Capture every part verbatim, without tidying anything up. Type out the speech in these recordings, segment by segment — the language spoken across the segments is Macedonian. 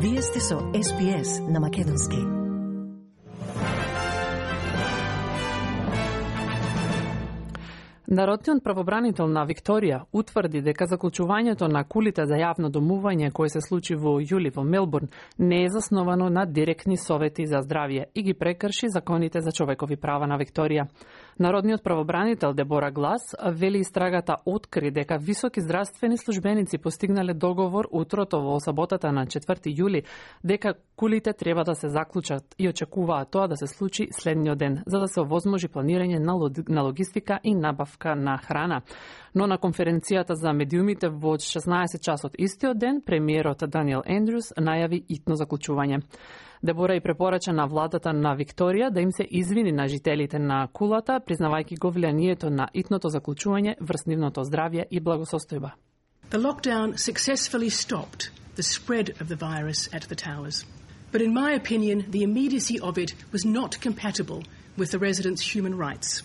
Вие сте со Ес Би Ес на Македонски. Народниот правобранител на Викторија утврди дека заклучувањето на кулите за јавно домување кој се случи во јули во Мелбурн не е засновано на директни совети за здравје и ги прекрши законите за човекови права на Викторија. Народниот правобранител Дебора Глас вели истрагата откри дека високи здравствени службеници постигнале договор утрото во саботата на четврти јули дека кулите треба да се заклучат и очекуваат тоа да се случи следниот ден за да се овозможи планирање на логистика и набавка на храна. Но на конференцијата за медиумите во шеснаесет часот истиот ден, премиерот Даниел Ендрюс најави итно заклучување. Дебора и препорача на владата на Викторија да им се извини на жителите на кулата, признавајќи го влијанието на итното заклучување врз нивното здравје и благосостојба. The lockdown successfully stopped the spread of the virus at the towers. But in my opinion, the immediacy of it was not compatible with the residents' human rights,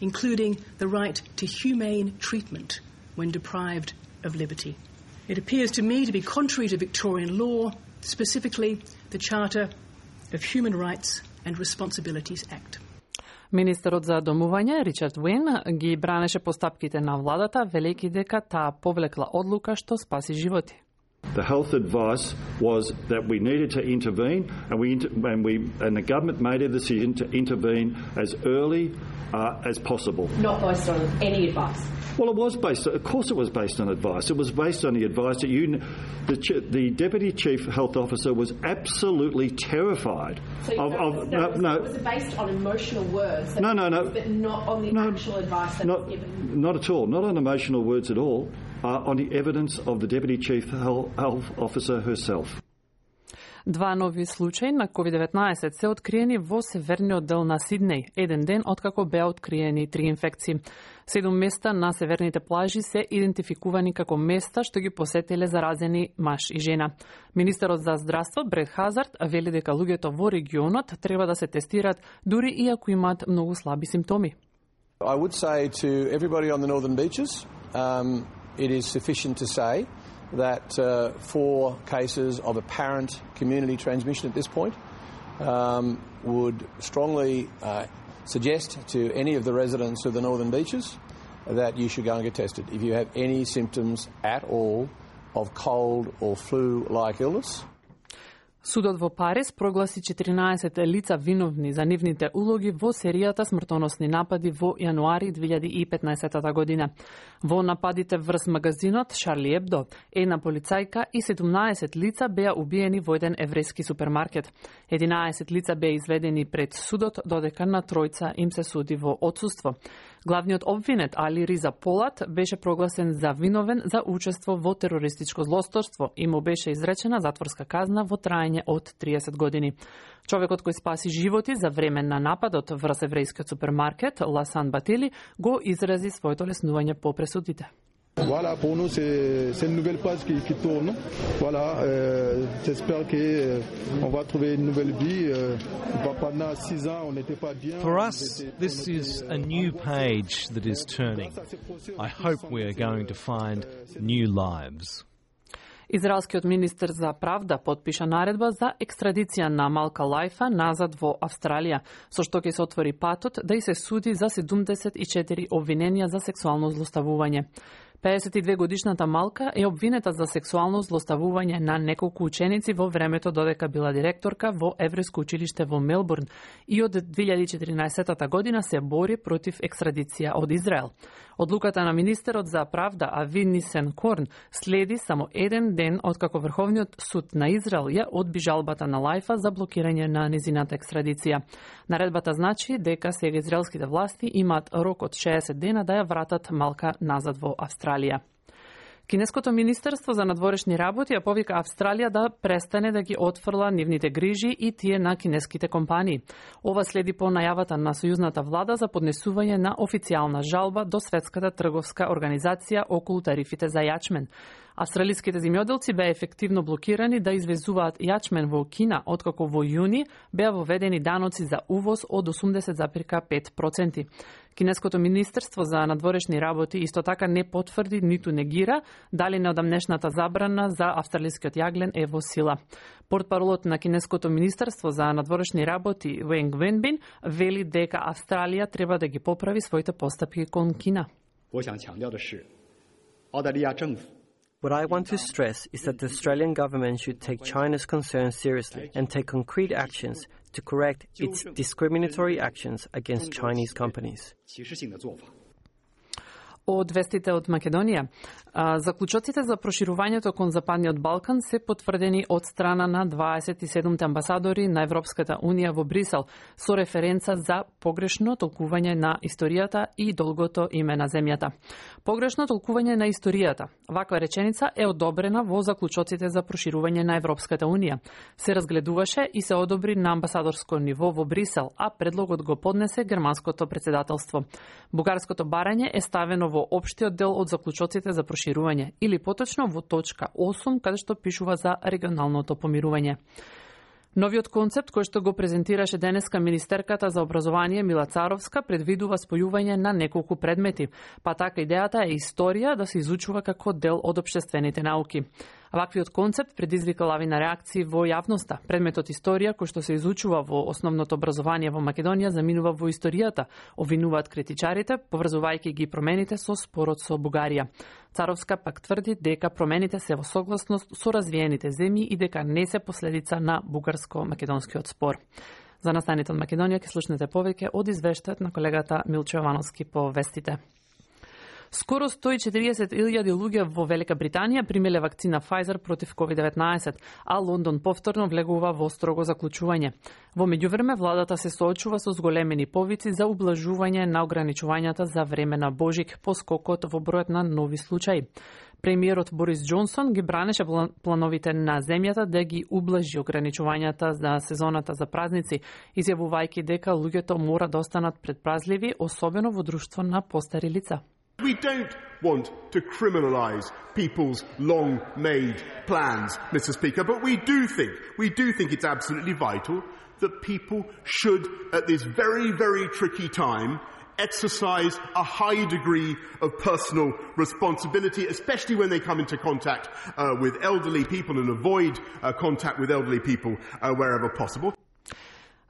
including the right to humane treatment when deprived of liberty. It appears to me to be contrary to Victorian law, specifically the Charter of Human Rights and Responsibilities Act. Министерот за домување Ричард Уейн ги бранеше постапките на владата, велејќи дека таа повлекла одлука што спаси животи. The health advice was that we needed to intervene, and we and we and the government made a decision to intervene as early uh, as possible. Not based on any advice. Well, it was based. Of course, it was based on advice. It was based on the advice that you, the the deputy chief health officer, was absolutely terrified so of. of no, no, no, was it based on emotional words? No, no, no. But not on the no, actual advice that not, was given. Not at all. Not on emotional words at all. Uh, on the evidence of the deputy chief health officer herself. Два нови случаи на ковид деветнаесет се откриени во северниот дел на Сиднеј, еден ден откако беа откриени три инфекции. Седум места на северните плажи се идентификувани како места што ги посетиле заразени маж и жена. Министерот за здравство Бред Хазард вели дека луѓето во регионот треба да се тестираат дури и ако имаат многу слаби симптоми. I would say to everybody on the northern beaches, um, it is sufficient to say that uh, four cases of apparent community transmission at this point um, would strongly uh, suggest to any of the residents of the northern beaches that you should go and get tested. If you have any symptoms at all of cold or flu-like illness. Судот во Париз прогласи четиринаесет лица виновни за нивните улоги во серијата смртоносни напади во јануари две илјади и петнаесета година. Во нападите врз магазинот Шарли Ебдо, една полицајка и седумнаесет лица беа убиени во еден еврејски супермаркет. единаесет лица беа изведени пред судот, додека на тројца им се суди во отсуство. Главниот обвинет Али Риза Полат беше прогласен за виновен за учество во терористичко злосторство и му беше изречена затворска казна во траење од триесет години. Човекот кој спаси животи за време на нападот врз еврејскиот супермаркет Ласан Батили го изрази своето леснување по пресудите. Voilà, pour nous, c'est une nouvelle page qui, qui tourne. Voilà, euh, j'espère qu'on va trouver une nouvelle vie. Euh, pendant six ans, on n'était pas bien. For us, this is a new page that is turning. I hope we are going to find new lives. Израелскиот министер за правда потпиша наредба за екстрадиција на Малка Лајфа назад во Австралија, со што ќе се отвори патот да и се суди за седумдесет и четири обвиненија за сексуално злоставување. пеесет и две годишната Малка е обвинета за сексуално злоставување на неколку ученици во времето додека била директорка во еврејско училиште во Мелбурн и од две илјади и четиринаесета година се бори против екстрадиција од Израел. Одлуката на министерот за правда Ави Нисенкорн следи само еден ден откако Врховниот суд на Израел ја одби жалбата на Лајфа за блокирање на незината екстрадиција. Наредбата значи дека сега израелските власти имаат рок од шеесет дена да ја вратат Малка назад во Австралија. Кинеското министерство за надворешни работи ја повика Австралија да престане да ги отфрла нивните грижи и тие на кинеските компании. Ова следи по најавата на сојузната влада за поднесување на официјална жалба до Светската трговска организација околу тарифите за јачмен. Австралиските земјоделци беа ефективно блокирани да извезуваат јачмен во Кина, откако во јуни беа воведени даноци за увоз од осумдесет зарез пет проценти. Кинеското министерство за надворешни работи исто така не потврди ниту негира дали неодамнешната забрана за австралискиот јаглен е во сила. Портпаролот на Кинеското министерство за надворешни работи Венг Венбин вели дека Австралија треба да ги поправи своите постапки кон Кина. What I want to stress is that the Australian government should take China's concerns seriously and take concrete actions to correct its discriminatory actions against Chinese companies. Од вестите од Македонија, заклучоците за проширувањето кон Западниот Балкан се потврдени од страна на дваесет и седумте амбасадори на Европската Унија во Брисел со референца за погрешно толкување на историјата и долгото име на земјата. Погрешно толкување на историјата. Ваква реченица е одобрена во заклучоците за проширување на Европската Унија. Се разгледуваше и се одобри на амбасадорско ниво во Брисел, а предлогот го поднесе германското претседателство. Бугарското барање е ставено во општиот дел од заклучоците за проширување, или поточно во точка осум, каде што пишува за регионалното помирување. Новиот концепт кој што го презентираше денеска министерката за образование Мила Царовска предвидува спојување на неколку предмети, па така идејата е историја да се изучува како дел од општествените науки. Ваквиот концепт предизвика лавина реакции во јавноста. Предметот историја, кој што се изучува во основното образование во Македонија, заминува во историјата, обвинуваат критичарите, поврзувајќи ги промените со спорот со Бугарија. Царовска пак тврди дека промените се во согласност со развиените земји и дека не се последица на бугарско-македонскиот спор. За настаните од Македонија ќе слушнете повеќе од извештајот на колегата Милчо Јовановски по вестите. Скоро сто и четириесет илјади луѓе во Велика Британија примеле вакцина Pfizer против ковид деветнаесет, а Лондон повторно влегува во строго заклучување. Во меѓувреме, владата се соочува со зголемени повици за ублажување на ограничувањата за време на Божик по скокот во бројот на нови случаи. Премиерот Борис Џонсон ги бранеше плановите на земјата да ги ублажи ограничувањата за сезоната за празници, изјавувајќи дека луѓето мора да останат предпазливи, особено во друштво на постари лица. We don't want to criminalise people's long-made plans, Mister Speaker, but we do think, we do think it's absolutely vital that people should, at this very, very tricky time, exercise a high degree of personal responsibility, especially when they come into contact uh, with elderly people, and avoid uh, contact with elderly people uh, wherever possible.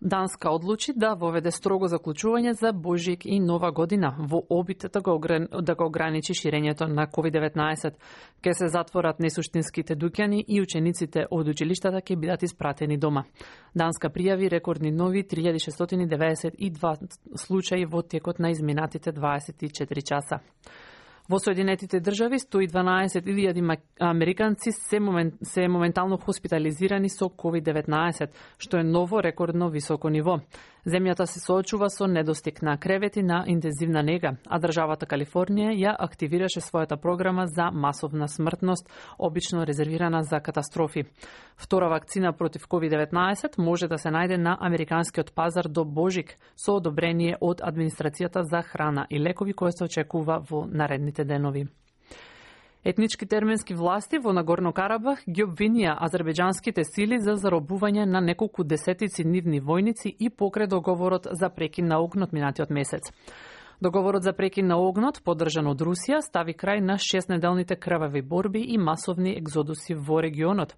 Данска одлучи да воведе строго заклучување за Божик и Нова година во обид да го, да го ограничи ширењето на ковид деветнаесет. Ке се затворат несуштинските дуќани и учениците од училиштата ќе бидат испратени дома. Данска пријави рекордни нови три илјади шестстотини деветдесет и два случаи во текот на изминатите дваесет и четири часа. Во Соединетите држави сто и дванаесет илјади американци се, момент, се моментално хоспитализирани со ковид деветнаесет, што е ново рекордно високо ниво. Земјата се соочува со недостиг на кревети на интензивна нега, а државата Калифорнија ја активираше својата програма за масовна смртност, обично резервирана за катастрофи. Втора вакцина против ковид деветнаесет може да се најде на американскиот пазар до Божик со одобрение од Администрацијата за храна и лекови кој се очекува во наредните денови. Етнички терменски власти во Нагорно Карабах ги обвинија азербејџанските сили за заробување на неколку десетици нивни војници и покрај договорот за прекин на огнот минатиот месец. Договорот за прекин на огнот, поддржан од Русија, стави крај на шестнеделните крвави борби и масовни екзодуси во регионот.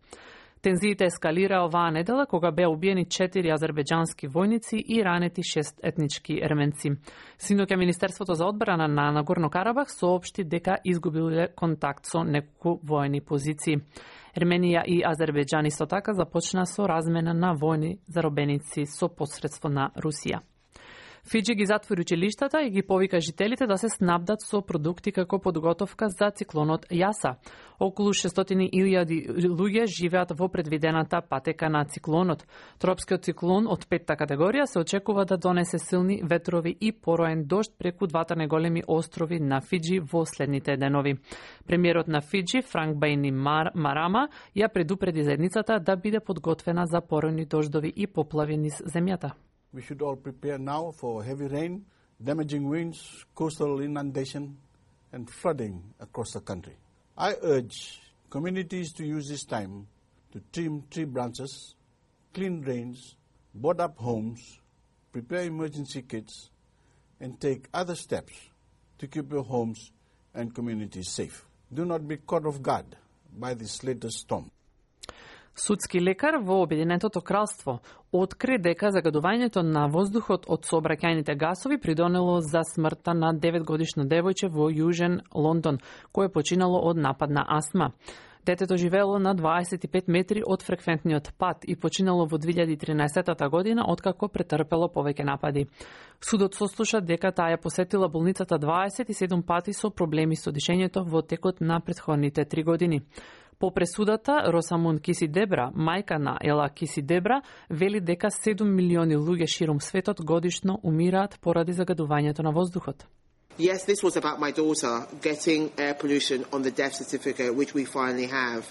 Тензиите ескалира оваа недела кога беа убиени четири азербејџански војници и ранети шест етнички ерменци. Синоќа Министерството за одбрана на Нагорно Карабах соопшти дека изгубиле контакт со неколку воени позиции. Ерменија и Азербејџан исто така започна со размена на војни заробеници со посредство на Русија. Фиџи ги затвори училиштата и ги повика жителите да се снабдат со продукти како подготовка за циклонот Јаса. Околу шестстотини илјади луѓе живеат во предвидената патека на циклонот. Тропскиот циклон од петта категорија се очекува да донесе силни ветрови и пороен дожд преку двата најголеми острови на Фиџи во следните денови. Премиерот на Фиџи, Франк Бајни Мар, Марама, ја предупреди заедницата да биде подготвена за поројни дождови и поплави низ земјата. We should all prepare now for heavy rain, damaging winds, coastal inundation, and flooding across the country. I urge communities to use this time to trim tree branches, clean drains, board up homes, prepare emergency kits, and take other steps to keep your homes and communities safe. Do not be caught off guard by this latest storm. Судски лекар во Обединетото кралство откри дека загадувањето на воздухот од сообраќајните гасови придонело за смртта на деветгодишно девојче во Јужен Лондон, кое починало од напад на астма. Детето живеело на дваесет и пет метри од фреквентниот пат и починало во две илјади и тринаесетта година, откако претрпело повеќе напади. Судот сослуша дека таа ја посетила болницата дваесет и седум пати со проблеми со дишењето во текот на претходните три години. По пресудата, Росамун Кисидебра, мајка на Ела Кисидебра, вели дека седум милиони луѓе ширум светот годишно умираат поради загадувањето на воздухот. Yes, this was about my daughter getting air pollution on the death certificate, which we finally have.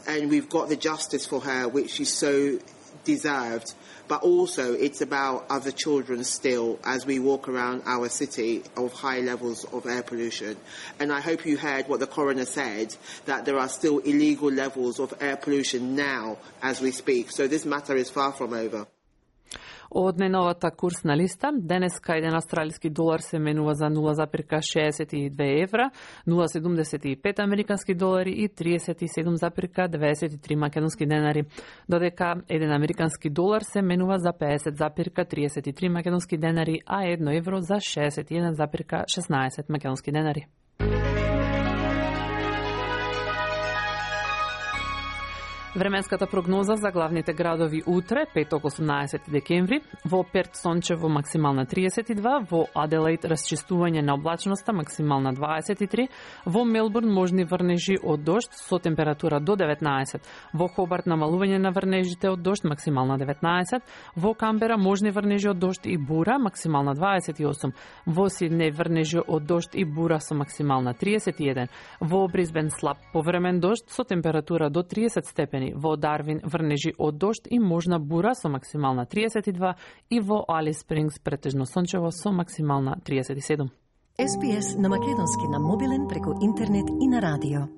And we've got the justice for her, which she so deserved. But also, it's about other children still as we walk around our city of high levels of air pollution. And I hope you heard what the coroner said, that there are still illegal levels of air pollution now as we speak. So this matter is far from over. Од најновата курсна листа, денеска еден австралиски долар се менува за нула запирка шеесет и две евра, нула седумдесет и пет американски долари и триесет и седум запирка деветдесет и три македонски денари, додека еден американски долар се менува за пеесет запирка триесет и три македонски денари, а едно евро за шеесет и еден запирка шеснаесет македонски денари. Временската прогноза за главните градови утре, петок осумнаесети декември, во Перт сончево максимална триесет и два, во Аделаид расчистување на облачноста максимална дваесет и три, во Мелбурн можни врнежи од дожд со температура до деветнаесет, во Хобарт намалување на врнежите од дожд максимална деветнаесет, во Камбера можни врнежи од дожд и бура максимална дваесет и осум, во Сиднеј врнежи од дожд и бура со максимална триесет и еден, во Брисбен слаб повремен дожд со температура до триесет степени, во Дарвин врнежи од дожд и можна бура со максимална триесет и два и во Алис Спрингс претежно сончево со максимална триесет и седум. Ес Би Ес на македонски на мобилен преку интернет и на радио.